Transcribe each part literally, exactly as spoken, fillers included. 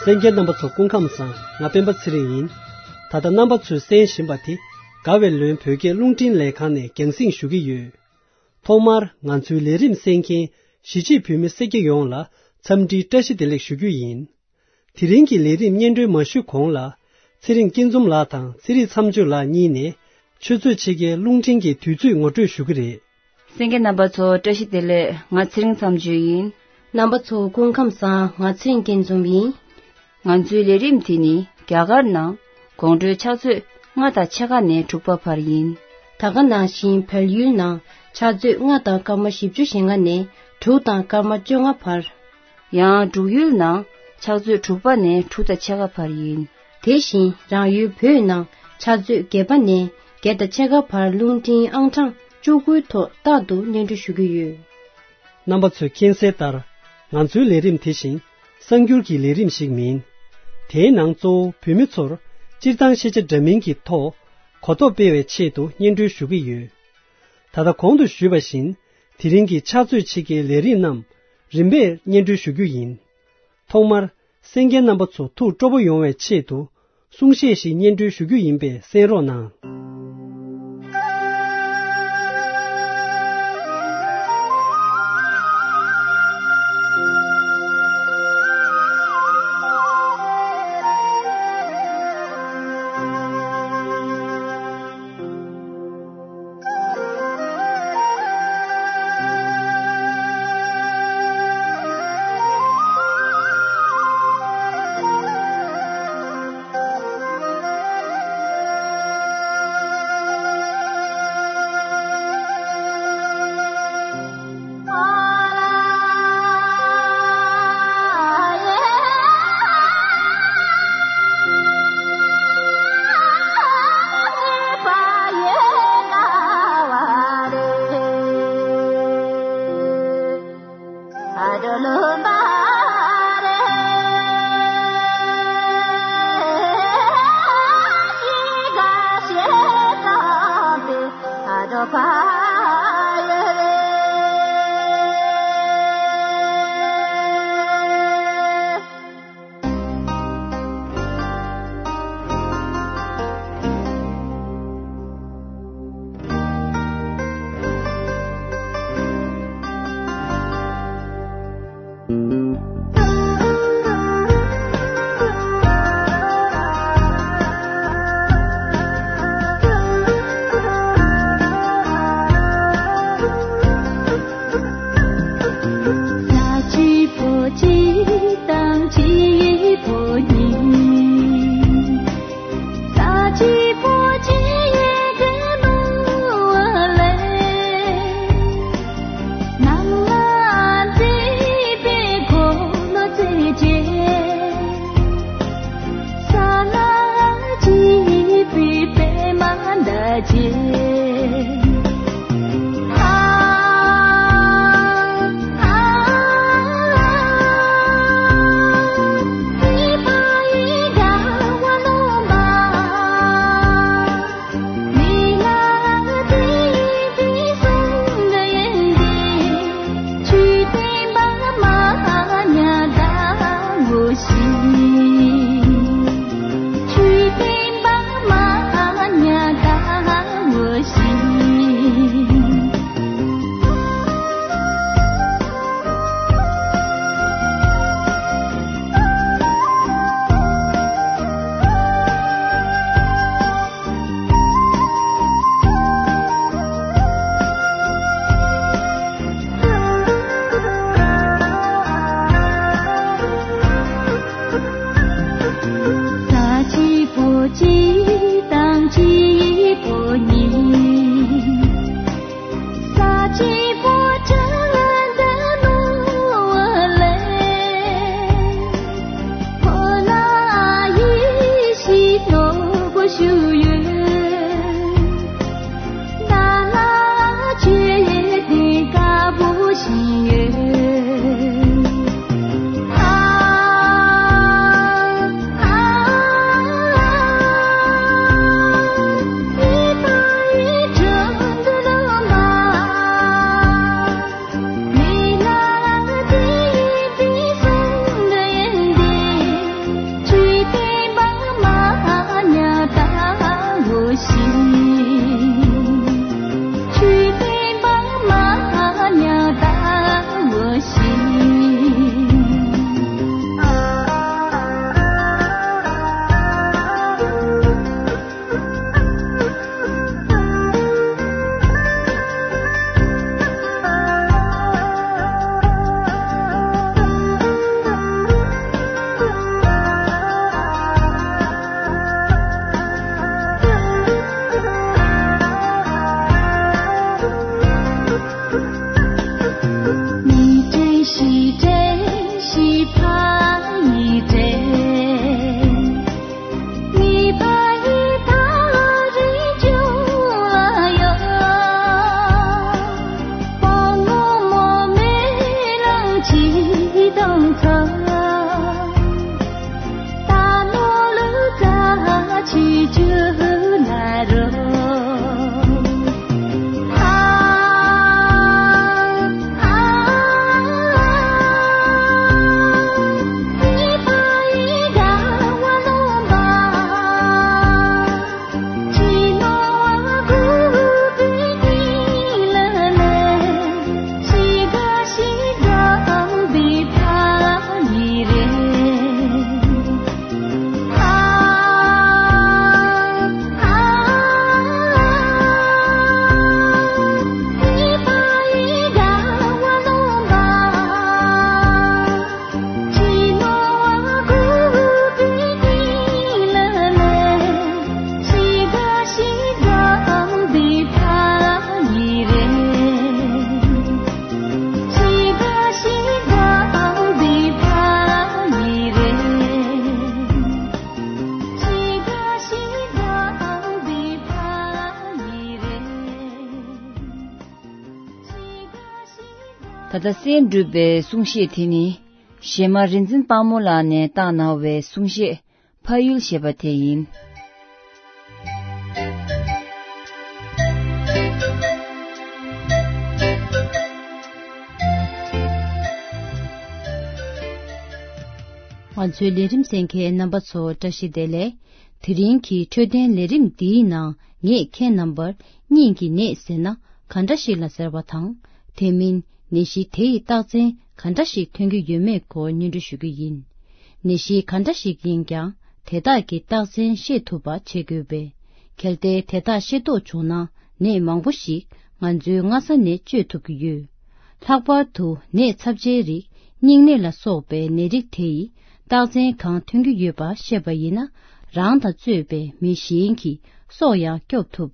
གསན་མཁན་རྣམ་པ་ཚོ་སྐུ་ཁམས་བཟང་། ང་སྤེན་པ་ཚེ་རིང་ཡིན། ད་ལྟ་རྣམ་པ་ཚོས་གསན་བཞིན་པ་དེ་དགའ་བའི་ལོན་བོད་སྐད་རླུང་འཕྲིན་ལས་ཁང་ནས་རྒྱང་སྲིང་ཞུ་གི་ཡོད། ཐོག་མར་ང་ཚོའི་ལས་རིམ་གསན་མཁན་གཞིས་བྱེས་བོད་མི་སེར་སྐྱ་ཡོངས་ལ་འཚམས་འདྲིའི་བཀྲ་ཤིས་བདེ་ལེགས་ཞུ་རྒྱུ་ཡིན། དེ་རིང་གི་ལས་རིམ་སྙན་སྒྲོན་མ་ཞུས་གོང་ལ། ཚེ་རིང་སྐྱིད་འཛོམས་ལགས་དང་ཚེ་རིང་མཚམས་གཅོད་ལགས་གཉིས་ནས། ཆུ་ཚོད་ཕྱེད་ཀའི་རླུང་འཕྲིན་གྱི་དུས་ཚོད་ངོ་སྤྲོད་ཞུ་གི་རེད། གསན་མཁན་རྣམ་པ་ཚོ་བཀྲ་ཤིས་བདེ་ལེགས། ང་ཚེ་རིང་མཚམས་གཅོད་ཡིན། རྣམ་པ་ཚོ་སྐུ་ཁམས་བཟང་། ང་ཚེ་རིང་སྐྱིད་འཛོམས་ཡིན། ང་ཚོའི་ལས་རིམ་དེ་ནི་རྒྱ་གར་ནང་དགོང་དྲོའི་ཕྱག་ཚོད་ལྔ་དང་ཕྱེད་ཀ་ནས་དྲུག་པ་བར་ཡིན། ད་ག་ནང་བཞིན་བལ་ཡུལ་ནང་ཕྱག་ཚོད་ལྔ་དང་སྐར་མ་བཞི་བཅུ་ཞེ་ལྔ་ནས་དྲུག་དང་སྐར་མ་བཅོ་ལྔ་བར། ཡང་འབྲུག་ཡུལ་ནང་ཕྱག་ཚོད་དྲུག་པ་ནས་དྲུག་དང་ཕྱེད་ཀ་བར་ཡིན། དེ་བཞིན་རང་ཡུལ་བོད་ནང་ཕྱག་ཚོད་བརྒྱད་པ་ནས་བརྒྱད་དང་ཕྱེད་ཀ་བར་རླུང་འཕྲིན་ཨང་གྲངས་བཅུ་དགུའི་ཐོག་རྟག་ཏུ་སྙན་སྒྲོན་ཞུ་གི་ཡོད། རྣམ་པ་ཚོས་མཁྱེན་གསལ་ལྟར། ང་ཚོའི་ལས་རིམ་དེ་བཞིན་གསར་འགྱུར་གྱི་ལས་རིམ་ཞིག་མིན། དེའི་ནང་གཙོ་བོ་བོད་མི་ཚོར་སྤྱིར་བཏང་ཤེས་བྱ་འདྲ་མིན་གྱི་ཐོག་གོ་རྟོགས་སྤེལ་བའི་ཆེད་དུ་སྙན་སྒྲོན་ཞུ་གི་ཡོད། ད་ལྟ་གོང་དུ་ཞུས་པ་བཞིན། དེ་རིང་གི་ཕྱག་ཚོད་ཕྱེད་ཀའི་ལས་རིམ་རྣམས་རིམ་པས་སྙན་སྒྲོན་ཞུ་རྒྱུ་ཡིན། ཐོག་མར། གསན་མཁན་རྣམ་པ་ཚོ་ཐུགས་སྤྲོ་པོ་ཡོང་བའི་ཆེད་དུ། གསུང་བཤད་ཞིག་སྙན་སྒྲོན་ཞུ་རྒྱུ་ཡིན་པས་གསན་རོགས་གནང་། ད་ལྟ་གསན་གྲུབ་པའི་གསུང་བཤད་དེ་ནི། གཞས་མ་རིག་འཛིན་དཔལ་མོ་ལགས་ནས་བཏང་གནང་བའི་གསུང་བཤད་ཕ་ཡུལ་ཞེས་པ་དེ་ཡིན། ང་ཚོའི་ལས་རིམ་གསན་མཁན་རྣམ་པ་ཚོ་བཀྲ་ཤིས་བདེ་ལེགས། དེ་རིང་གི་འཕྲོད་བསྟེན་ལས་རིམ་འདིའི་ནང་ངས་ཁྱེད་རྣམ་པར་སྙིང་གི་ནད་ཟེར་ན་ག་འདྲ་ཞིག་ལ་ཟེར་བ་དང་། དེ་མིན་ནད་གཞི་དེ་ཡི་རྟགས་མཚན་ག་འདྲ་ཞིག་ཐོན་གྱི་ཡོད་མེད་སྐོར་སྙན་སྒྲོན་ཞུ་རྒྱུ་ཡིན། ནད་གཞི་ག་འདྲ་ཞིག་ཡིན་ཀྱང་དེ་དག་གི་རྟགས་མཚན་ཤེས་ཐུབ་པ་བྱེད་དགོས་པས། གལ་ཏེ་དེ་དག་ཤེས་རྟོགས་བྱུང་ན་ནད་མང་པོ་ཞིག་ང་ཚོའི་སྔ་ས་ནས་བཅོས་ཐུབ་ཀྱི་ཡོད། ལྷག་པར་དུ་ནད་ཚབས་ཆེའི་རིགས་སྙིང་ནད་ལ་སོགས་པའི་ནད་རིགས་དེ་ཡི་རྟགས་མཚན་གང་ཐོན་གྱི་ཡོད་པ་ཤེས་པ་ཡིན་ན། རང་དང་གཙོས་པའི་མི་གཞན་གྱི་སྲོག་ཡང་སྐྱོབ་ཐུབ།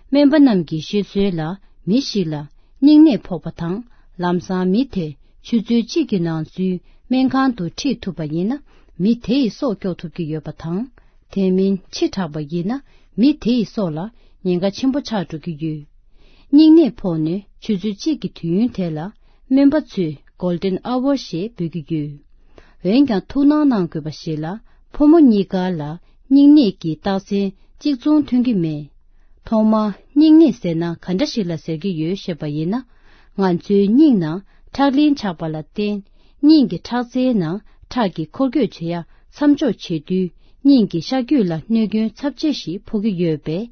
སྨན་པ་རྣམས་ཀྱིས་ཤོད་སྲོལ་ལ། མི་ཞིག་ལ་སྙིང་ནད་ཕོག་པ་དང་། ལམ་སང་མི་དེ་ཆུ་ཚོད་གཅིག་གི་ནང་ཚུན་སྨན་ཁང་དུ་ཁྲིད་ཐུབ་པ་ཡིན་ན། མི་དེ་ཡི་སྲོག་སྐྱོབ་ཐུབ་ཀྱི་ཡོད་པ་དང་། དེ་མིན་ཕྱི་དྲགས་པ་ཡིན་ན། མི་དེ་ཡི་སྲོག་ལ་ཉེན་ཁ་ཆེན་པོ་ཆགས་འགྲོ་གི་ཡོད། སྙིང་ནད་ཕོག་ནས་ཆུ་ཚོད་གཅིག་གི་དུས་ཡུན་དེ་ལ་སྨན་པ་ཚོས་Golden Hour ཞེས་འབོད་ཀྱི་ཡོད། འོན་ཀྱང་ཐུགས་སྣང་གནང་དགོས་པ་ཞིག་ལ། ཕོ་མོ་གཉིས་ཀ་ལ་སྙིང་ནད་ཀྱི་རྟགས་མཚན་གཅིག་མཚུངས་ཐོན་གྱི་མེད། ཐོག་མར་སྙིང་ནད་ཟེར་ན་ག་འདྲ་ཞིག་ལ་ཟེར་གྱི་ཡོད་ཤེས་པ་ཡིན་ན། ང་ཚོའི་སྙིང་ནང་ཁྲག་ལིང་ཆགས་པ་ལ་བརྟེན། སྙིང་གི་ཁྲག་རྩའི་ནང་ཁྲག་གི་འཁོར་སྐྱོད་བྱེད་ཡ་མཚམས་འཇོག་བྱེད་དུས། སྙིང་གི་ཤ་རྒྱུས་ལ་གནོད་སྐྱོན་ཚབས་ཆེ་ཞིག་ཕོག་གི་ཡོད་པས།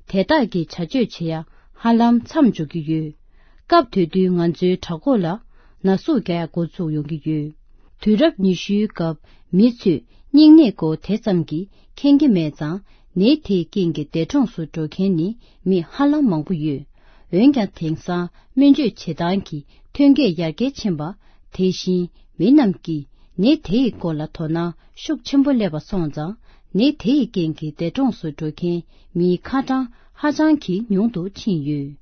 དེ་དག་གི་བྱ་སྤྱོད་བྱེད་ཡ་ཧ་ལམ་མཚམས་འཇོག་གི་ཡོད། སྐབས་དེ་དུས་ང་ཚོའི་བྲག་འགོག་ལ་ན་ཟུག་རྒྱག་ཡ་འགོ་ཚུགས་ཡོང་གི་ཡོད། དུས་རབས་ཉི་ཤུའི་སྐབས་མི་ཚོས་སྙིང་ནད་སྐོར་དེ་ཙམ་གྱིས་མཁྱེན་གྱི་མེད་ཙང་། ནད་དེའི་རྐྱེན་གྱིས་འདས་གྲོངས་སུ་འགྲོ་མཁན་ནི་མི་ཧ་ལམ་མང་པོ་ཡོད། འོན་ཀྱང་དེང་སང་སྨན་བཅོས་བྱེད་སྟངས་ཀྱི་ཐོན་སྐྱེད་ཡར་རྒྱས་ཕྱིན་པ། དེ་བཞིན་མི་རྣམས་ཀྱིས་ནད་དེ་ཡི་སྐོར་ལ་དོ་སྣང་ཤུགས་ཆེན་པོ་སླེབས་པ་སོང་ཙང་། ནད་དེ་ཡི་རྐྱེན་གྱིས་འདས་གྲོངས་སུ་འགྲོ་མཁན་མིའི་ཁ་གྲངས་ཧ་ཅང་གི་ཉུང་དུ་ཕྱིན་ཡོད།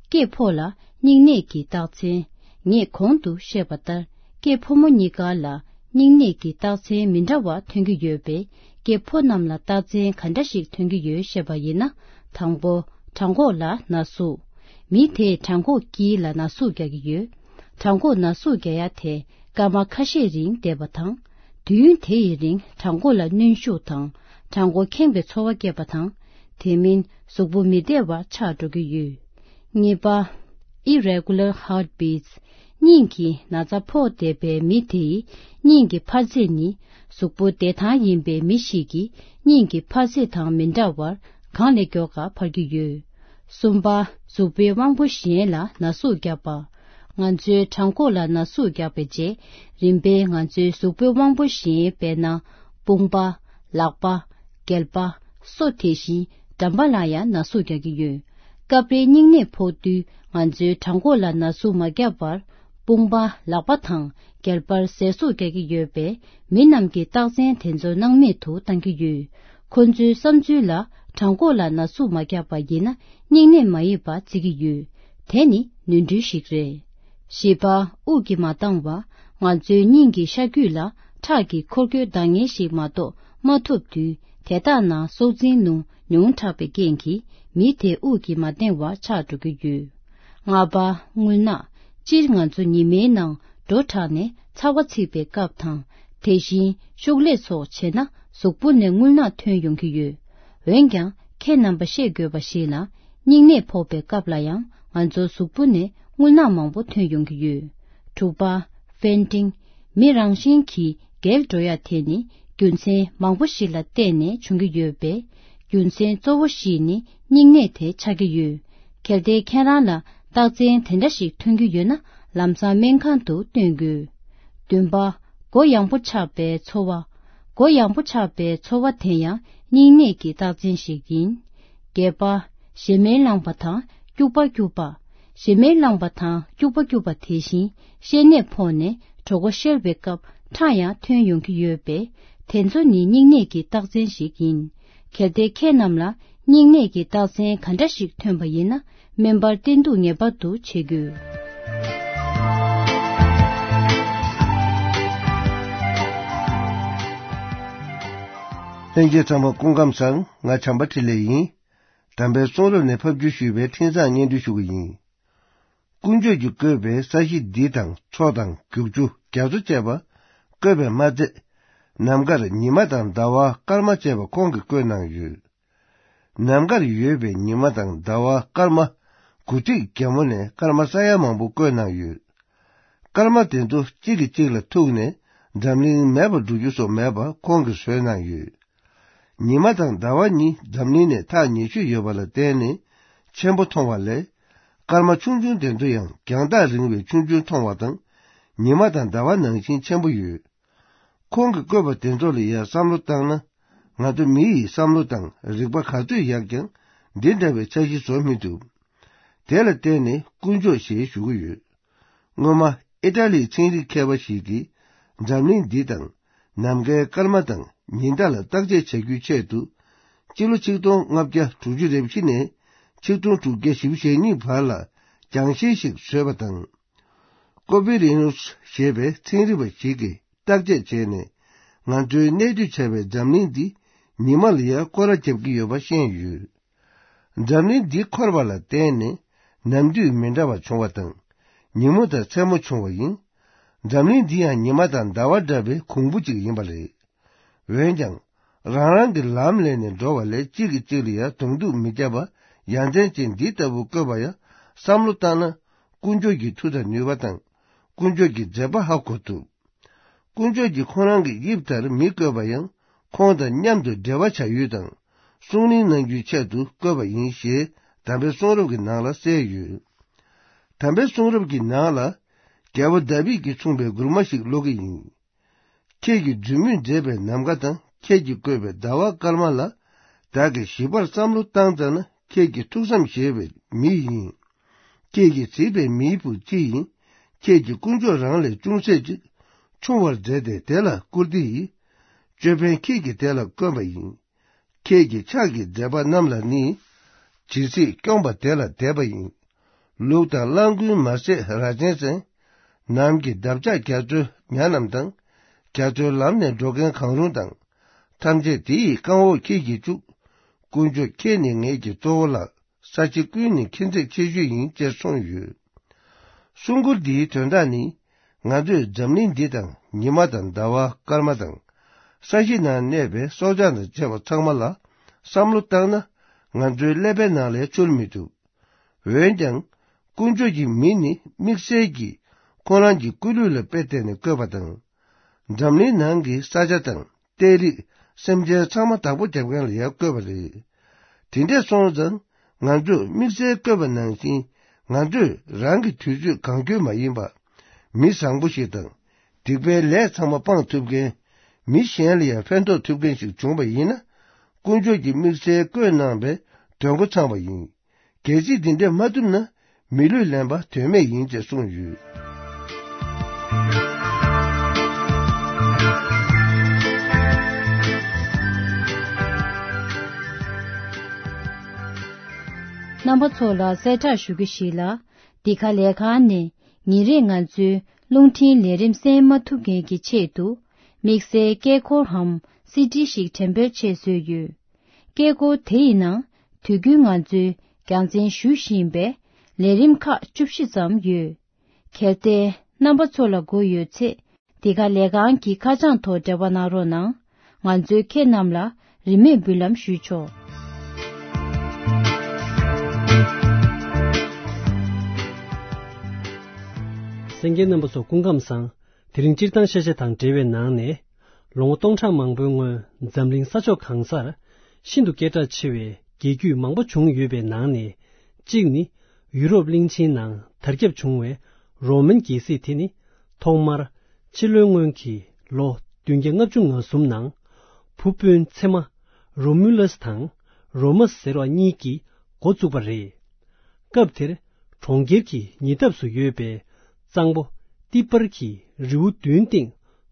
སྐྱེས་ཕོ་ལ་སྙིང་ནད་ཀྱི་རྟགས་མཚན། ངས་གོང་དུ་བཤད་པ་ལྟར། སྐྱེས་ཕོ་མོ་གཉིས་ཀ་ལ་སྙིང་ནད་ཀྱི་རྟགས་མཚན་མི་འདྲ་བ་ཐོན་གྱི་ཡོད་པས། སྐྱེས་ཕོ་རྣམས་ལ་རྟགས་མཚན་ག་འདྲ་ཞིག་ཐོན་གྱི་ཡོད་ཤེས་པ་ཡིན་ན། དང་པོ། བྲང་ཁོག་ལ་ན་ཟུག་མི་དེས་བྲང་ཁོག་དཀྱིལ་ལ་ན་ཟུག་རྒྱག་གི་ཡོད། བྲང་ཁོག་ན་ཟུག་རྒྱག་ཡ་དེ་སྐར་མ་ཁ་ཤས་རིང་བསྡད་པ་དང་། དུས་ཡུན་དེ་ཡི་རིང་བྲང་ཁོག་ལ་གནོན་ཤུགས་དང་། བྲང་ཁོག་ཁེངས་པའི་ཚོར་བ་སྐྱེས་པ་དང་། དེ་མིན་གཟུགས་པོ་མི་བདེ་བ་ཆགས་འགྲོ་གི་ཡོད། གཉིས་པ། Irregular Heartbeats། སྙིང་གི་ན་ཚ་ཕོག་བསྡད་པའི་མི་དེའི་སྙིང་གི་འཕར་ཚད་ནི། གཟུགས་པོ་བདེ་ཐང་ཡིན་པའི་མི་ཞིག་གི་སྙིང་གི་འཕར་ཚད་དང་མི་འདྲ་བར། གང་ལས་མགྱོགས་ཀ་འཕར་གྱི་ཡོད། གསུམ་པ། གཟུགས་པོའི་དབང་པོ་གཞན་ལ་ན་ཟུག་བརྒྱབ་པ། ང་ཚོའི་བྲང་ཁོག་ལ་ན་ཟུག་བརྒྱབ་པའི་རྗེས། རིམ་པས་ང་ཚོའི་གཟུགས་པོའི་དབང་པོ་གཞན་དཔེར་ན། དཔུང་པ། ལག་པ། སྐེད་པ། སོ་དེ་བཞིན་འགྲམ་པ་ལ་ཡང་ན་ཟུག་རྒྱག་གི་ཡོད། སྐབས་རེ་སྙིང་ནད་ཕོག་དུས་ང་ཚོའི་བྲང་ཁོག་ལ་ན་ཟུག་མ་བརྒྱབ་པར། དཔུང་པ། ལག་པ་དང་སྐེད་པར་ཟས་ཟུག་རྒྱག་གི་ཡོད་པས། མི་རྣམས་ཀྱིས་རྟགས་མཚན་དེ་ཚོ་སྣང་མེད་དུ་བཏང་གི་ཡོད། ཁོ་ཚོའི་བསམ་ཚུལ་ལ། བྲང་ཁོག་ལ་ན་ཟུག་མ་བརྒྱབ་པ་ཡིན་ན། སྙིང་ནད་མ་ཡིན་པ་བརྩི་གི་ཡོད། དེ་ནི་ནོར་འཁྲུལ་ཞིག་རེད། བཞི་པ། དབུགས་ཀྱིས་མ་འདང་བ། ང་ཚོའི་སྙིང་གི་ཤ་རྒྱུས་ལ་ཁྲག་གི་འཁོར་སྐྱོད་འདང་ངེས་ཤིག་མ་གཏོགས་མ་ཐུབ་དུས། དེ་དག་ནང་སྲོག་འཛིན་རླུང་ཉུང་དྲགས་པའི་རྐྱེན་གྱིས། མི་དེ་དབུགས་ཀྱིས་མ་འདང་བ་ཆགས་འགྲོ་གི་ཡོད། ལྔ་པ། རྔུལ་ནག་སྤྱིར་ང་ཚོ་ཉི་མའི་ནང་འགྲོ་དྲགས་ནས་ཚ་བ་ཚིག་པའི་སྐབས་དང་། དེ་བཞིན་ཤུགས་ལས་ཚོགས་བྱས་ན་གཟུགས་པོ་ནས་རྔུལ་ནག་ཐོན་ཡོང་གི་ཡོད། འོན་ཀྱང་ཁྱེད་རྣམ་པ་ཤེས་དགོས་པ་ཞིག་ལ། སྙིང་ནད་ཕོག་པའི་སྐབས་ལ་ཡང་ང་ཚོའི་གཟུགས་པོ་ནས་རྔུལ་ནག་མང་པོ་ཐོན་ཡོང་གི་ཡོད། དྲུག་པ། ཕེན་ཊིང་། མི་རང་བཞིན་གྱིས་རྒྱལ་འགྲོ་ཡ་དེ་ནི་རྒྱུ་མཚན་མང་པོ་ཞིག་ལ་བརྟེན་ནས་བྱུང་གི་ཡོད་པས། རྒྱུ་མཚན་གཙོ་བོ་ཞིག་ནི་སྙིང་ནད་དེ་ཆགས་ཀྱི་ཡོད། གལ་ཏེ་ཁྱེད་རང་ལ་རྟགས་མཚན་དེ་འདྲ་ཞིག་ཐོན་གྱི་ཡོད་ན། ལམ་སང་སྨན་ཁང་དུ་སྟོན་དགོས། བདུན་པ། མགོ་ཡངས་པོ་ཆགས་པའི་ཚོར་བ། མགོ་ཡངས་པོ་ཆགས་པའི་ཚོར་བ་དེ་ཡང་སྙིང་ནད་ཀྱི་རྟགས་མཚན་ཞིག་ཡིན། བརྒྱད་པ། ཞེ་མེར་ལངས་པ་དང་སྐྱུག་པ་སྐྱུག་པ། ཞེ་མེར་ལངས་པ་དང་སྐྱུག་པ་སྐྱུག་པ་དེ་བཞིན་བཤལ་ནད་ཕོག་ནས་གྲོད་ཁོག་བཤལ་བའི་སྐབས་ཁྲག་ཡང་ཐོན་ཡོང་གི་ཡོད་པས། དེ་ཚོ་ནི་སྙིང་ནད་ཀྱི་རྟགས་མཚན་ཞིག་ཡིན། གལ་ཏེ་ཁྱེད་རྣམས་ལ་སྙིང་ནད་ཀྱི་རྟགས་མཚན་ག་འདྲ་ཞིག་ཐོན་པ་ཡིན་ན། སྨན་པར་བསྟེན་གཏུགས་ངེས་པར་དུ་བྱེད་དགོས། ལྷན་རྒྱས་ཚང་མ་སྐུ་ཁམས་བཟང་། ང་བྱམས་པ་འཕྲིན་ལས་ཡིན། དམ་པའི་གསུང་རབ་ནས་ཕབ་བསྒྱུར་ཞུས་པའི་འཕྲིན་བཟང་སྙན་སྒྲོན་ཞུ་གི་ཡིན། དཀོན་མཆོག་གིས་བཀོད་པའི་ས་གཞི་འདི་དང་མཚོ་དང་རྒྱུག་ཆུ་རྒྱ་མཚོ་བཅས་པ་བཀོད་པས་མ་ཚད། ནམ་མཁར་ཉི་མ་དང་ཟླ་བ་སྐར་མ་བཅས་པ་ཁོང་གིས་བཀོད་གནང་ཡོད། ནམ་མཁར་ཡོད་པའི་ཉི་མ་དང་ཟླ་བ་སྐར་མ་དགུ་ཐིག་རྒྱ་མོ་ནས་སྐར་མ་ས་ཡ་མང་པོ་བཀོད་གནང་ཡོད། སྐར་མ་དེ་ཚོ་གཅིག་གིས་གཅིག་ལ་ཐུག་ནས་འཛམ་གླིང་མེད་པར་འགྲོ་རྒྱུ་སོགས་མེད་པ་ཁོང་གིས་བཟོས་གནང་ཡོད། ཉི་མ་དང་ཟླ་བ་གཉིས་འཛམ་གླིང་ནས་ཐག་ཉེ་ཤོས་ཡོད་པ་ལ་བརྟེན་ནས་ཆེན་པོ་མཐོང་བ་ལས། སྐར་མ་ཆུང་ཆུང་དེ་ཚོ་ཡང་རྒྱང་ཐག་རིང་བས་ཆུང་ཆུང་མཐོང་བ་དང་། ཉི་མ་དང་ཟླ་བ་ནང་བཞིན་ཆེན་པོ་ཡོད། ཁོང་གིས་བཀོད་པ་དེ་ཚོ་ལ་ཡང་བསམ་བློ་བཏང་ན། ང་ཚོ་མི་ཡི་བསམ་བློ་དང་རིག་པ་ག་ཚོད་ཡག་ཀྱང་། འདི་འདྲ་བའི་འཆར་གཞི་བཟོ་མི་ཐུབ། དེ་ལ་བརྟེན་ནས་དཀོན་མཆོག་ཞེས་ཞུ་གི་ཡོད། སྔོན་མ་ཨི་ཊ་ལིའི་ཚན་རིག་མཁས་པ་ཞིག་གིས། འཛམ་གླིང་འདི་དང་ནམ་མཁའི་སྐར་མ་དང་ཉི་ཟླ་ལ་བརྟག་དཔྱད་བྱ་རྒྱུའི་ཆེད་དུ། སྤྱི་ལོ་ཆིག་སྟོང་ལྔ་བརྒྱ་དྲུག་ཅུ་རེ་བཞི་ནས་ཆིག་སྟོང་དྲུག་བརྒྱ་བཞི་བཅུ་ཞེ་གཉིས་བར་ལ་རྒྱང་ཤེལ་ཞིག་བཟོས་པ་དང་། ཀོ་པེ་རི་ནུས་ཞེས་པའི་ཚན་རིག་པ་ཞིག་གིས་བརྟག་དཔྱད་བྱས་ནས། ང་ཚོའི་གནས་སྡོད་བྱ་བའི་འཛམ་གླིང་འདི་ཉི་མ་ལ་ཡང་སྐོར་ར་བརྒྱབ་ཀྱི་ཡོད་པ་ཤེས་ཡོད། འཛམ་གླིང་འདི་འཁོར་བ་ལ་བརྟེན་ནས་ནམ་དུས་མི་འདྲ་བ་བྱུང་བ་དང་། ཉིན་མོ་དང་མཚན་མོ་བྱུང་བ་ཡིན། འཛམ་གླིང་འདི་ཡང་ཉི་མ་དང་ཟླ་བ་འདྲ་བའི་གོང་བུ་གཅིག་ཡིན་པ་རེད། འོན་ཀྱང་། རང་རང་གི་ལམ་ལས་ནས་འགྲོ་བ་ལས་གཅིག་གིས་གཅིག་ལ་ཡང་གདོང་གཏུག་མི་བརྒྱབ་པ་ཡ་མཚན་ཅན་འདི་ལྟ་བུ་བཀོད་པ་ཡང་བསམ་བློ་བཏང་ན། དཀོན་མཆོག་གི་མཐུ་དང་ནུས་པ་དང་། དཀོན་མཆོག་གི་མཛད་པ་ཧ་གོ་ཐུབ། དཀོན་མཆོག་གིས་ཁོང་རང་གི་དབྱིབས་ལྟར་མི་བཀོད་པ་ཡང་། ཁོང་དང་མཉམ་དུ་འབྲེལ་བ་བྱ་ཡུལ་དང་། གསུང་གླེང་གནང་རྒྱུའི་ཆེད་དུ་བཀོད་པ་ཡིན་ཞེས་དམ་པའི་གསུང་རབ་ཀྱི་ནང་ལ་གསལ་ཡོད། དམ་པའི་གསུང་རབ་ཀྱི་ནང་ལ། རྒྱལ་པོ་དཱ་བིད་ཀྱིས་མཚུངས་པའི་མགུར་མ་ཞིག་ཀློག་གི་ཡིན། ཁྱེད་ཀྱི་མཛུབ་མོས་མཛད་པའི་ནམ་མཁའ་དང་། ཁྱེད་ཀྱིས་བཀོད་པའི་ཟླ་བ་སྐར་མ་ལ། བདག་གིས་ཞིབ་པར་བསམ་བློ་བཏང་ཙམ་ན། ཁྱེད་ཀྱི་ཐུགས་བསམ་བཞེས་པའི་མི་ཡིན། ཁྱེད་ཀྱིས་གཟིགས་པའི་མིའི་བུ་ཅི་ཡིན། ཁྱེད་ཀྱིས་དཀོན་མཆོག་རང་ལས་ཅུང་ཟད་ཅིག་ཆུང་བར་མཛད་དེ། དེ་ལ་བཀུར་སྟི་ཡིས། ཅོད་པན་ཁྱེད་ཀྱིས་དེ་ལ་བསྐོན་པ་ཡིན། ཁྱེད་ཀྱི་ཕྱག་གི་མཛད་པ་རྣམས་ལ་ནི། ཇི་སྲིད་སྐྱོང་པ་དེ་ལ་དད་པ་ཡིན། ལུག་དང་གླང་རྒོད་མ་ཟད་ར་ཆེན་ཟན། ནམ་གྱི་འདབ་ཆགས་རྒྱ་མཚོའི་ཉ་རྣམས་དང་། རྒྱ་མཚོའི་ལམ་ནས་འགྲོ་མཁན་གང་རུང་དང་། ཐམས་ཅད་དེ་ཡི་རྐང་འོག་ཁྱེད་ཀྱིས་བཅུག། དཀོན་མཆོག་ཁྱེད་ནི་ངེད་ཀྱི་གཙོ་བོ་ལགས། ས་ཆ་ཀུན་ནི་ཁྱེད་ཚེགས་ཆེ་ཤོས་ཡིན་ཅེས་གསུངས་ཡོད། གསུང་མགུར་འདིའི་དོན་དག་ནི། ང་ཚོས་འཛམ་གླིང་འདི་དང་ཉི་མ་དང་ཟླ་བ་སྐར་མ་དང་། ས་གཞི་ནང་གནས་པའི་སྲོག་ཆགས་དང་བཅས་པ་ཚང་མ་ལ་བསམ་བློ་བཏང་ན། ང་ཚོའི་ཀླད་པའི་ནང་ལས་འཆོར་མི་ཐུབ། འོན་ཀྱང་། དཀོན་མཆོག་གིས་མི་ནི་དམིགས་བསལ་གྱིས་ཁོ་རང་གི་སྐུ་ལུས་ལ་དཔེ་བལྟས་ནས་བཀོད་པ་དང་། འཛམ་གླིང་ནང་གི་ས་ཆ་དང་། གཏེར་རིགས། སེམས་ཅན་ཚང་མ་བདག་པོ་རྒྱབ་མཁན་ལ་ཡང་བཀོད་པ་རེད། དེ་འདྲས་སོང་ཙང་ང་ཚོས་དམིགས་བསལ་བཀོད་པ་ནང་བཞིན། ང་ཚོས་རང་གི་དུས་ཚོད་གང་འཁྱོལ་མ་ཡིན་པ། མི་བཟང་པོ་ཞིག་དང་། སྡིག་པའི་ལས་ཚང་མ་སྤང་ཐུབ་མཁན། མི་གཞན་ལ་ཡང་ཕན་ཐོགས་ཐུབ་མཁན་ཞིག་བྱུང་བ་ཡིན་ན། དཀོན་མཆོག་གིས་དམིགས་བསལ་བཀོད་གནང་བའི་དོན་གོ་ཚང་བ་ཡིན། གལ་སྲིད་འདི་འདྲ་མ་ཐུབ་ན། མི་ལུས་ལེན་པ་དོན་མེད་ཡིན་ཅེས་གསུངས་ཡོད། རྣམ་པ་ཚོ་ལ་གསལ་བསྒྲགས་ཞུ་རྒྱུ་ཞིག་ལ། འདི་ག་ལས་ཁང་ནས་ཉིན་རེར་ང་ཚོའི་རླུང་འཕྲིན་ལས་རིམ་གསན་མ་ཐུབ་མཁན་གྱི་ཆེད་དུ། དམིགས་བསལ་སྐད་འཁོར་འམ་སི་ཌི་ཞིག་འགྲེམས་སྤེལ་ཆེད་བཟོས་ཡོད། སྐད་འཁོར་དེ་ཡི་ནང་དུས་རྒྱུན་ང་ཚོའི་རྒྱང་འཛིན་ཞུ་བཞིན་པའི་ལས་རིམ་ཁག་བཅུ་བཞི་ཙམ་ཡོད། གལ་ཏེ་རྣམ་པ་ཚོ་ལ་དགོས་ཡོད་ཚེ། འདི་ག་ལས་ཁང་གི་ཁ་བྱང་ཐོག་འབྲེལ་བ་གནང་རོགས་གནང་། ང་ཚོའི་ཁྱེད་རྣམས་ལ་རིན་མེད་འབུལ་ལམ་ཞུས་ཆོག། གསན་མཁན་རྣམ་པ་ཚོ་སྐུ་ཁམས་བཟང་། དེ་རིང་སྤྱིར་བཏང་ཤེས་བྱ་དང་འབྲེལ་བའི་ནང་ནས། ལོ་ངོ་སྟོང་ཕྲག་མང་པོའི་སྔོན་འཛམ་གླིང་ས་ཕྱོགས་གང་སར་ཤིན་ཏུ་སྐད་གྲགས་ཆེ་བའི་རྒྱལ་རྒྱུད་མང་པོ་བྱུང་ཡོད་པའི་ནང་ནས། གཅིག་ནི་ཡུ་རོབ་གླིང་ཆེན་ནང་དར་ཁྱབ་བྱུང་བའི་རོ་མན་རྒྱལ་སྲིད་དེ་ནི། ཐོག་མར་ཕྱི་ལོའི་སྔོན་གྱི་ལོ་བདུན་བརྒྱ་ལྔ་བཅུ་ང་གསུམ་ནང་བུ་སྤུན་ཚེ་མ་རོ་མུ་ལས་དང་རོ་མ་ཟེར་བ་གཉིས་ཀྱིས་འགོ་བཙུགས་པ་རེད། སྐབས་དེར་གྲོང་ཁྱེར་གྱི་ཉེ་འདབས་སུ་ཡོད་པའི་གཙང་པོ་ཏི་པར་གྱི་རི་བོ་བདུན་སྟེང་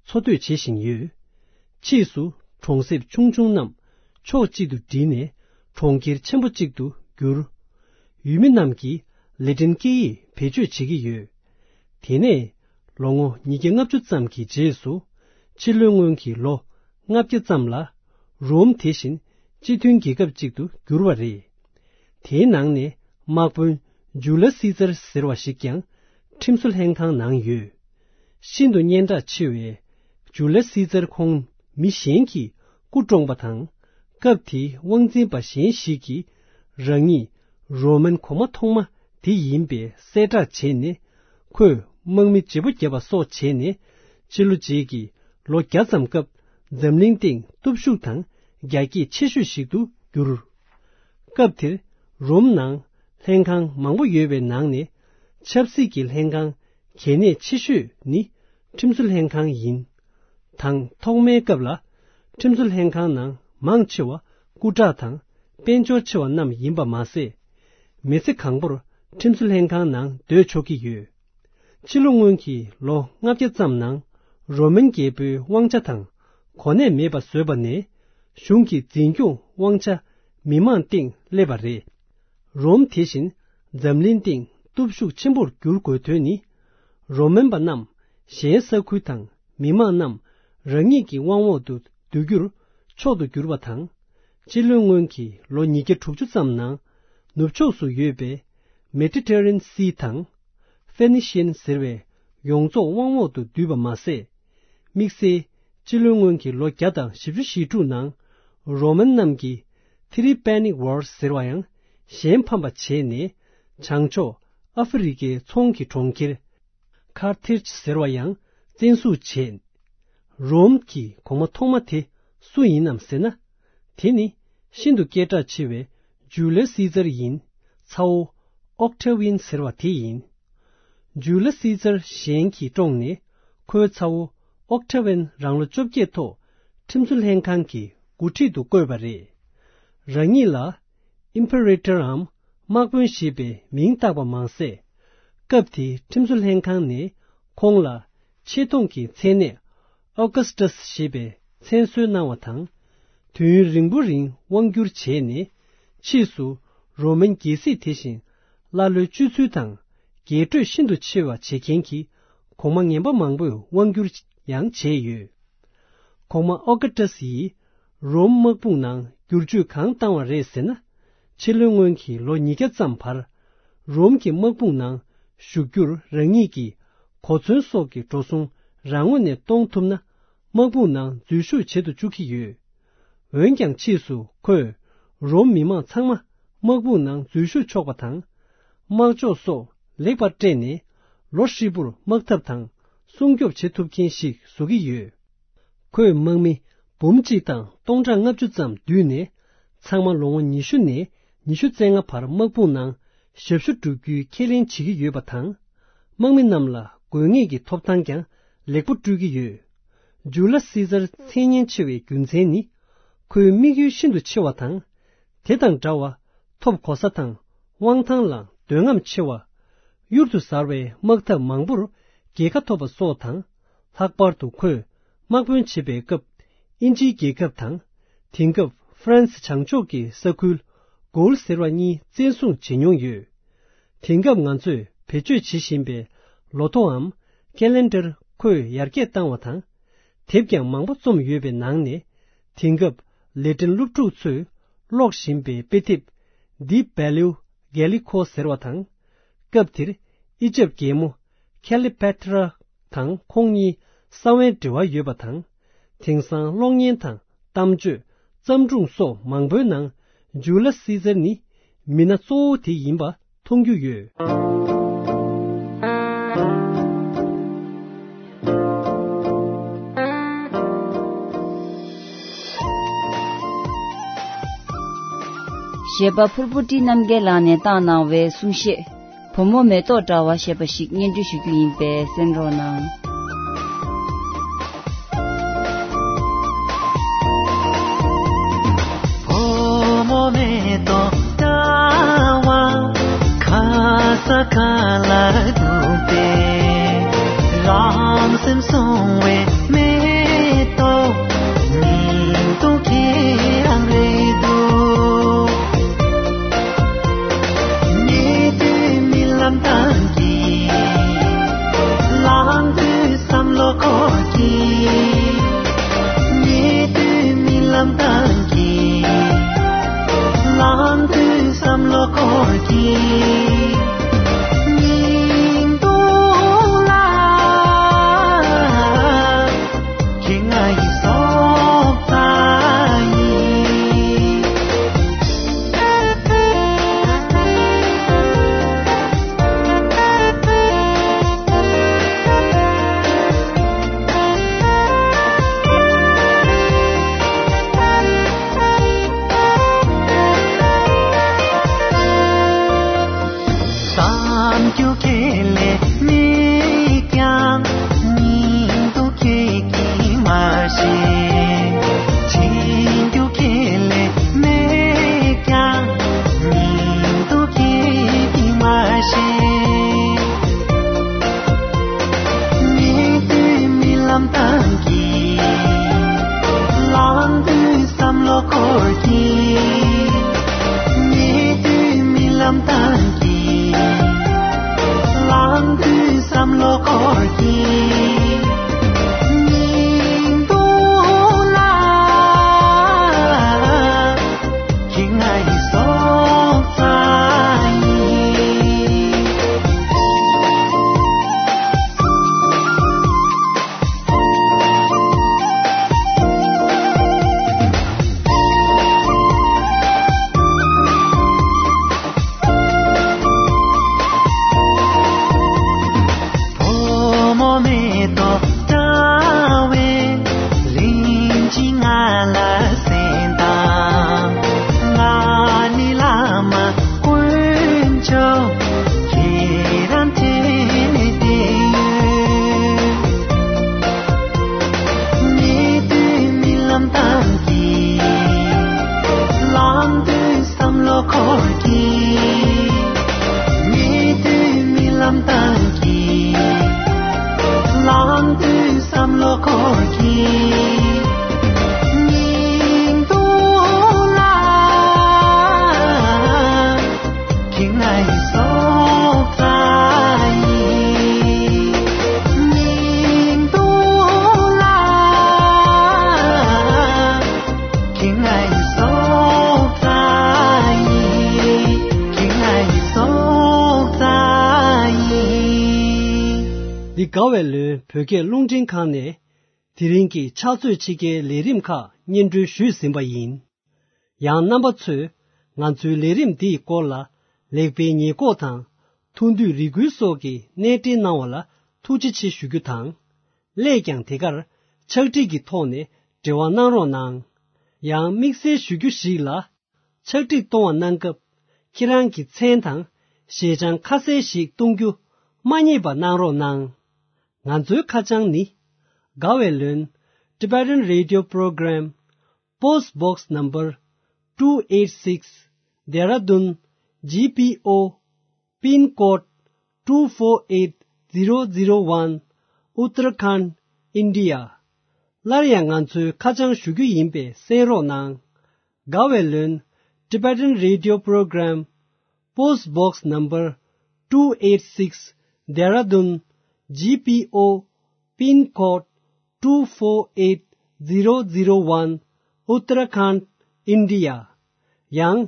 འཚོ་སྡོད་བྱེད་བཞིན་ཡོད། ཕྱིས་སུ་གྲོང་གསེབ་ཆུང་ཆུང་རྣམས་ཕྱོགས་གཅིག་ཏུ་བསྒྲིལ་ནས་གྲོང་ཁྱེར་ཆེན་པོ་གཅིག་ཏུ་གྱུར། ཡུལ་མི་རྣམས་ཀྱིས་ལེ་ཏིན་སྐད་ཡིག་བེད་སྤྱོད་བྱེད་ཀྱི་ཡོད། དེ་ནས་ལོ་ངོ་ཉིས་བརྒྱ་ལྔ་བཅུ་ཙམ་གྱི་རྗེས་སུ། ཕྱི་ལོའི་སྔོན་གྱི་ལོ་ལྔ་བརྒྱ་ཙམ་ལ། རོམ་དེ་བཞིན་སྤྱི་མཐུན་རྒྱལ་ཁབ་ཅིག་ཏུ་གྱུར་བ་རེད། དེའི་ནང་ནས་དམག་དཔོན་ཇུ་ལ་སི་ཙར་ཟེར་བ་ཞིག་ཀྱང་ཁྲིམས་བཟོ་ལྷན་ཁང་ནང་ཡོད། ཤིན་ཏུ་སྙན་གྲགས་ཆེ་བའི་ཇུ་ལ་སི་ཙར་ཁོང་མི་གཞན་གྱིས་སྐུ་བཀྲོངས་པ་དང་། སྐབས་དེའི་དབང་འཛིན་པ་གཞན་ཞིག་གིས་རང་ཉིད་རོ་མན་གོང་མ་ཐོག་མ་དེ་ཡིན་པའི་གསལ་བསྒྲགས་བྱས་ནས། ཁོས་དམག་མི་བརྗེ་པོ་བརྒྱབ་པ་སོགས་བྱས་ནས། ཕྱི་ལོ་རྗེས་ཀྱི་ལོ་བརྒྱ་ཙམ་སྐབས་འཛམ་གླིང་སྟེང་སྟོབས་ཤུགས་དང་རྒྱ་སྐྱེད་ཆེ་ཤོས་ཤིག་ཏུ་གྱུར། སྐབས་དེར་རོམ་ནང་ལྷན་ཁང་མང་པོ་ཡོད་པའི་ནང་ནས། ཆབ་སྲིད་ཀྱི་ལྷན་ཁང་གལ་གནད་ཆེ་ཤོས་ནི་ཁྲིམས་བཟོ་ལྷན་ཁང་ཡིན། དང་ཐོག་མའི་སྐབས་ལ། ཁྲིམས་བཟོ་ལྷན་ཁང་ནང་མང་ཆེ་བ་སྐུ་དྲག་དང་དཔལ་འབྱོར་ཆེ་བ་རྣམས་ཡིན་པ་མ་ཟད། མི་ཚེ་གང་པོར་ཁྲིམས་བཟོ་ལྷན་ཁང་ནང་སྡོད་ཆོག་གི་ཡོད། ཕྱི་ལོ་སྔོན་གྱི་ལོ་ལྔ་བརྒྱ་ཙམ་ནང་རོ་མན་རྒྱལ་པོའི་དབང་ཆ་དང་གོ་གནས་མེད་པ་བཟོས་པ་ནས། གཞུང་གི་འཛིན་སྐྱོང་དབང་ཆ་མི་མང་སྟེང་སླེབས་པ་རེད། རོམ་དེ་བཞིན་འཛམ་གླིང་སྟེང་སྟོབས་ཤུགས་ཆེན་པོར་གྱུར་དགོས་དོན་ནི། རོ་མན་པ་རྣམས་གཞན་ས་ཁུལ་དང་མི་མང་རྣམས་རང་ཉིད་ཀྱི་དབང་འོག་ཏུ་བསྡུ་རྒྱུར་མཆོག་ཏུ་གྱུར་པ་དང་། སྤྱི་ལོའི་སྔོན་གྱི་ལོ་ཉིས་བརྒྱ་དྲུག་ཅུ་ཙམ་ནང་ནུབ་ཕྱོགས་སུ་ཡོད་པའི་མེ་ཏི་ཏེ་རེ་ནི་སི་དང་ཧྥེ་ནི་ཤི་ཡན་ཟེར་བའི་ཡོངས་རྫོགས་དབང་འོག་ཏུ་བསྡུས་པ་མ་ཟད། དམིགས་བསལ་སྤྱི་ལོའི་སྔོན་གྱི་ལོ་བརྒྱ་དང་བཞི་བཅུ་ཞེ་དྲུག་ནང་རོ་མན་རྣམས་ཀྱིས་ཐི་རི་པེ་ནིག་ཝར་ཟེར་བ་ཡང་གཞན་ཕམ་པ་བྱས་ནས། བྱང་ཕྱོགས་ཨ་ཧྥེ་རི་ཀའི་ཚོང་གི་གྲོང་ཁྱེར་ཁར་ཐེར་ཇི་ཟེར་བ་ཡང་བཙན་བཟུང་བྱས། རོམ་གྱི་གོང་མ་ཐོག་མ་དེ་སུ་ཡིན་ནམ་ཟེར་ན། དེ་ནི་ཤིན་ཏུ་སྐད་གྲགས་ཆེ་བའི་ཇུ་ལི་སི་ཙར་ཡིན། ཚ་བོ་ཨོག་ཏ་ཝི་ཡན་ཟེར་བ་དེ་ཡིན། ཇུ་ལི་སི་ཙར་གཞན་གྱིས་བཀྲོངས་ནས། ཁོའི་ཚ་བོ་ཨོག་ཏ་ཝི་ཡན་རང་ལོ་བཅོ་བརྒྱད་ཐོག་ཁྲིམས་བཟོ་ལྷན་ཁང་གི་འགོ་ཁྲིད་དུ་བསྐོས་པ་རེད། རང་ཉིད་ལ་ཨིམ་པེ་རེ་ཏར་འམ་དམག་དཔོན་ཞེས་པའི་མིང་བཏགས་པ་མ་ཟད། སྐབས་དེའི་ཁྲིམས་བཟོ་ལྷན་ཁང་ནས་ཁོང་ལ་ཆེ་མཐོང་གི་མཚན་གནས་ཨོ་གྷ་སི་ཏཱས་ཞེས་པའི་མཚན་གསོལ་གནང་བ་དང་། དུས་ཡུན་རིང་པོ་རིང་དབང་བསྒྱུར་བྱས་ནས། ཕྱིས་སུ་རོ་མན་རྒྱལ་སྲིད་དེ་བཞིན་ཀླ་ཀློའི་སྤྱོད་ཚུལ་དང་རྒྱས་སྤྲོས་ཤིན་ཏུ་ཆེ་བ་བྱེད་མཁན་གྱི་གོང་མ་ངན་པ་མང་པོས་དབང་བསྒྱུར་ཡང་བྱས་ཡོད། གོང་མ་ཨོ་གྷ་སི་ཏཱས་ཡིས་རོམ་དམག་དཔུང་ནང་བསྒྱུར་བཅོས་གང་བཏང་བ་རེད་ཟེར་ན། ཕྱི་ལོའི་སྔོན་གྱི་ལོ་ཉིས་བརྒྱ་ཙམ་བར། རོམ་གྱི་དམག་དཔུང་ནང་ཞུགས་རྒྱུར་རང་ཉིད་ཀྱི་གོ་མཚོན་སོགས་ཀྱི་འགྲོ་སོང་རང་ངོས་ནས་གཏོང་ཐུབ་ན། དམག་དཔུང་ནང་འཛུལ་ཞུགས་བྱེད་དུ་བཅུག་གི་ཡོད། འོན་ཀྱང་ཕྱིས་སུ་ཁོས་རོམ་མི་མང་ཚང་མ་དམག་དཔུང་ནང་འཛུལ་ཞུགས་ཆོག་པ་དང་། དམག་ལྕོགས་སོགས་ལེགས་པར་སྤྲད་ནས། ལོ་ཧྲིལ་པོར་དམག་འཐབ་དང་སྲུང་སྐྱོབ་བྱེད་ཐུབ་མཁན་ཞིག་བཟོ་གི་ཡོད། ཁོས་དམག་མི་འབུམ་གཅིག་དང་སྟོང་ཕྲག་ལྔ་བཅུ་ཙམ་བསྡུས་ནས། ཚང་མ་ལོ་ངོ་ཉི་ཤུ་ནས་ཉི་ཤུ་རྩ་ལྔ་བར་དམག་དཔུང་ནང་ཞབས་ཞུ་བསྒྲུབ་རྒྱུའི་ཁས་ལེན་བྱེད་ཀྱི་ཡོད་པ་དང་། དམག་མི་རྣམས་ལ་དགོས་ངེས་ཀྱི་ཐོབ་ཐང་ཀྱང་ལེགས་པོ་སྤྲོད་ཀྱི་ཡོད། ཇུ་ལ་སི་ཛར་མཚན་སྙན་ཆེ་བའི་རྒྱུ་མཚན་ནི། ཁོའི་དམིགས་ཡུལ་ཤིན་ཏུ་ཆེ་བ་དང་། དེ་དང་འདྲ་བར་ཐོབ་གོ་ས་དང་དབང་ཐང་ལ་འདོད་རྔམ་ཆེ་བ། གཡུར་དུ་ཟར་བའི་དམག་འཐབ་མང་པོར་རྒྱལ་ཁ་ཐོབ་པ་སོགས་དང་། ལྷག་པར་དུ་ཁོས་དམག་དཔོན་བྱེད་པའི་སྐབས་ཨིན་ཇིའི་རྒྱལ་ཁབ་དང་། དེང་སྐབས་ཧྥ་རན་སི་བྱང་ཕྱོགས་ཀྱི་ས་ཁུལ་གོལ་ཟེར་བ་གཉིས་བཙན་བཟུང་བྱེད་མྱོང་ཡོད། དེང་སྐབས་ང་ཚོས་བེད་སྤྱོད་བྱེད་བཞིན་པའི་ལོ་ཐོའམ་ཀེ་ལེན་ཌར་ཁོས་ཡར་རྒྱས་བཏང་བ་དང་། དེབ་ཀྱང་མང་པོ་རྩོམ་ཡོད་པའི་ནང་ནས། དེང་སྐབས་ལེ་ཏིན་སློབ་ཕྲུག་ཚོས་ཀློག་བཞིན་པའི་དཔེ་དེབ་འདི་བེ་ལིའུ་གེ་ལི་ཁོ་ཟེར་བ་དང་། སྐབས་དེར་ཨི་ཇེབ་རྒྱལ་མོ་ཁེ་ལི་པེ་ཏྲ་དང་ཁོང་གཉིས་གསང་བའི་འབྲེལ་བ་ཡོད་པ་དང་། དེང་སང་གློག་བརྙན་དང་གཏམ་བརྗོད། བརྩམས་སྒྲུང་སོགས་མང་པོའི་ནང་ཇུ་ལ་སི་ཛར་ནི་མི་སྣ་གཙོ་བོ་དེ་ཡིན་པ་མཐོང་རྒྱུ་ཡོད། གཞས་པ་ཕུར་བུ་བཀྲིས་རྣམ་རྒྱལ་ལགས་ནས་བཏང་གནང་བའི་གསུང་བཤད། བུ་མོ་མེ་ཏོག་འདྲ་བ་ཞེས་པ་ཞིག་སྙན་སྒྲོན་ཞུ་རྒྱུ་ཡིན་པས་གསན་རོགས་གནང་། བུ་མོ་མེ་ཏོག་འདྲ་བ་ཁ་ས་ཁ་ལ་འདུག་པས། རང་སེམས་སྲུང་བའི་མེ་ཏོག་ཉིད་དུ་ཁྱེད་རང་རེད་འདུག། ཉེ་དུས་རྨི་ལམ་བཏང་གི། ལངས་དུས་བསམ་བློ་འཁོར་གི། ཉེ་དུས་རྨི་ལམ་བཏང་གི། ལངས་དུས་བསམ་བློ་འཁོར་གི། སྙིང་སྡུག་ལ། ཁྱེད་ང་ཡི་སྲོག་རྩ་ཡིན། བསམ་རྒྱུ་ཁེ་ལས་མེད་ཀྱང་། སྙིང་སྡུག་ཁྱེད་ཀྱིས་མ་ཤེས། དྲན་རྒྱུ་ཁེ་ལས་མེད་ཀྱང་། སྙིང་སྡུག་ཁྱེད་ཀྱིས་མ་ཤེས། ཉེ་དུས་རྨི་ལམ་བཏང་གི། ལངས་དུས་བསམ་བློ་འཁོར་གི། ཉེ་དུས་རྨི་ལམ་བཏང་གི། ལངས་དུས་བསམ་བློ་འཁོར་གི། སྙིང་སྡུག་ལ། ཁྱེད་ང་ཡི་སྲོག་རྩ་ཡིན། བུ་མོ་མེ་ཏོག་འདྲ་བའི་ལན་གཅིག་ང་ལ་གསན་དང་། ང་ནི་བླ་མ་དཀོན་མཆོག་ཁྱེད་རང་འཕྲིན་ལས་བསྡད་ཡོད། ཉེ་དུས་རྨི་ལམ་བཏང་གི། ལངས་དུས་བསམ་བློ་འཁོར་གི། ཉེ་དུས་རྨི་ལམ་བཏང་གི། ལངས་དུས་བསམ་བློ་འཁོར་གི། སྙིང་སྡུག་ལ། ཁྱེད་ང་ཡི་སྲོག་རྩ་ཡིན། སྙིང་སྡུག་ལ། ཁྱེད་ང་ཡི་སྲོག་རྩ་ཡིན། ཁྱེད་ང་ཡི་སྲོག་རྩ་ཡིན། འདི་དགའ་བའི་ལོའི་བོད་སྐད་རླུང་འཕྲིན་ཁང་ནས། དེ་རིང་གི་ཕྱག་ཚོད་ཕྱེད་ཀའི་ལས་རིམ་ཁག་སྙན་སྒྲོན་ཞུས་ཟིན་པ་ཡིན། ཡང་རྣམ་པ་ཚོས་ང་ཚོའི་ལས་རིམ་འདིའི་སྐོར་ལ་ལེགས་སྤེལ་ཉེས་འགོག་དང་། ཐུགས་འདོད་རེ་སྐུལ་སོགས་ཀྱི་གནས་འབྲེལ་གནང་བ་ལ་ཐུགས་རྗེ་ཆེ་ཞུ་རྒྱུ་དང་། སླད་ཀྱང་དེ་གར་ཕྱག་བྲིས་ཀྱི་ཐོག་ནས་འབྲེལ་བ་གནང་རོགས་གནང་། ཡང་དམིགས་བསལ་ཞུ་རྒྱུ་ཞིག་ལ། ཕྱག་བྲིས་གཏོང་བ་གནང་སྐབས། ཁྱེད་རང་གི་མཚན་དང་ཞལ་བྱང་ཁ་གསལ་ཞིག་གཏོང་རྒྱུ་མ་བསྙེལ་བ་གནང་རོགས་གནང་། ང་ཚོའི་ཁ་བྱང་ནི། དགའ་བའི་ལོན། Tibetan Radio Program, Post Box Number two eight six, Dehradun G P O, Pin Code two four eight zero zero one, Uttarakhand, India. སླར་ཡང་ང་ཚོའི་ཁ་བྱང་ཞུ་རྒྱུ་ཡིན་པས་གསན་རོགས་གནང་། དགའ་བའི་ལོན། Tibetan Radio Program, Post Box Number two eight six, Dehradun G P O, Pin Code two four eight zero zero one, Uttarakhand, India. ཡང་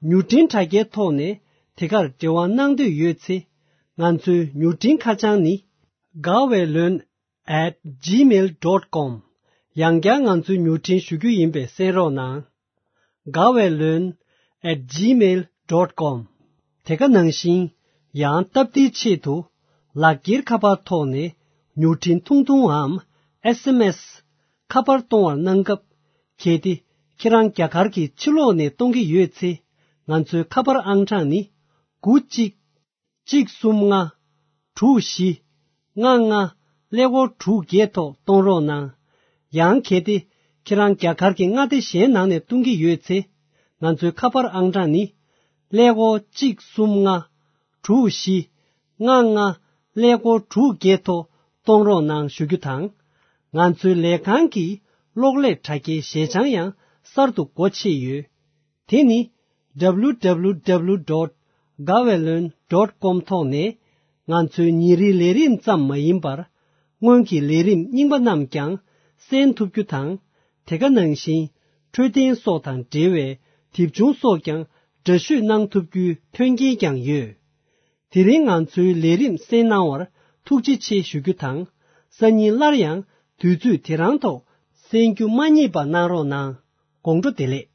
མྱུར་འཕྲིན་དྲ་རྒྱའི་ཐོག་ནས་དེ་གར་འབྲེལ་བ་གནང་འདོད་ཡོད་ཚེ། ང་ཚོའི་མྱུར་འཕྲིན་ཁ་བྱང་ནི། དགའ་བའི་ལོན། at gmail dot com། ཡང་བསྐྱར་ང་ཚོའི་མྱུར་འཕྲིན་ཞུ་རྒྱུ་ཡིན་པས་གསན་རོགས་གནང་། དགའ་བའི་ལོན། at gmail dot com། དེ་ག་ནང་བཞིན། ཡང་སྟབས་བདེའི་ཆེད་དུ། ལག་འཁྱེར་ཁ་པར་ཐོག་ནས་མྱུར་འཕྲིན་ཐུང་ཐུང་འམ། S M S། ཁ་པར་གཏོང་བར་གནང་སྐབས། གལ་ཏེ་ཁྱེད་རང་རྒྱ་གར་གྱི་ཕྱི་ལོགས་ནས་གཏོང་གི་ཡོད་ཚེ། ང་ཚོའི་ཁ་པར་ཨང་གྲངས་ནི། དགུ་གཅིག་གཅིག་གསུམ་ལྔ། དྲུག་བཞི། ལྔ་ལྔ། ཀླད་ཀོར་དྲུག་བརྒྱད་ཐོག་གཏོང་རོགས་གནང་། ཡང་གལ་ཏེ་ཁྱེད་རང་རྒྱ་གར་གྱི་མངའ་སྡེ་གཞན་ནང་ནས་གཏོང་གི་ཡོད་ཚེ། ང་ཚོའི་ཁ་པར་ཨང་གྲངས་ནི། ཀླད་ཀོར་གཅིག་གསུམ་ལྔ། དྲུག་བཞི། ལྔ་ལྔ། ཀླད་ཀོར་དྲུག་བརྒྱད་ཐོག་གཏོང་རོགས་གནང་ཞུ་རྒྱུ་དང་། ང་ཚོའི་ལས་ཁང་གི་གློག་ཀླད་དྲ་རྒྱའི་ཞལ་བྱང་ཡང་གསར་དུ་སྒོ་ཕྱེ་ཡོད། དེ་ནི། W W W dot gaweylon dot com ཐོག་ནས་ང་ཚོའི་ཉིན་རེའི་ལས་རིམ་ཙམ་མ་ཡིན་པར། སྔོན་གྱི་ལས་རིམ་རྙིང་པ་རྣམས་ཀྱང་གསན་ཐུབ་རྒྱུ་དང་། དེ་ག་ནང་བཞིན། འཕྲོད་བསྟེན་སོགས་དང་འབྲེལ་བའི་དེབ་ཆུང་སོགས་ཀྱང་འདྲ་བཤུས་གནང་ཐུབ་རྒྱུའི་མཐུན་རྐྱེན་ཀྱང་ཡོད། དེ་རིང་ང་ཚོའི་ལས་རིམ་གསན་གནང་བར་ཐུགས་རྗེ་ཆེ་ཞུ་རྒྱུ་དང་། སང་ཉིན་སླར་ཡང་དུས་ཚོད་དེ་རང་ཐོག་གསན་རྒྱུ་མ་བསྙེལ་བ་གནང་རོགས་གནང་། དགོང་དྲོ་བདེ་ལེགས།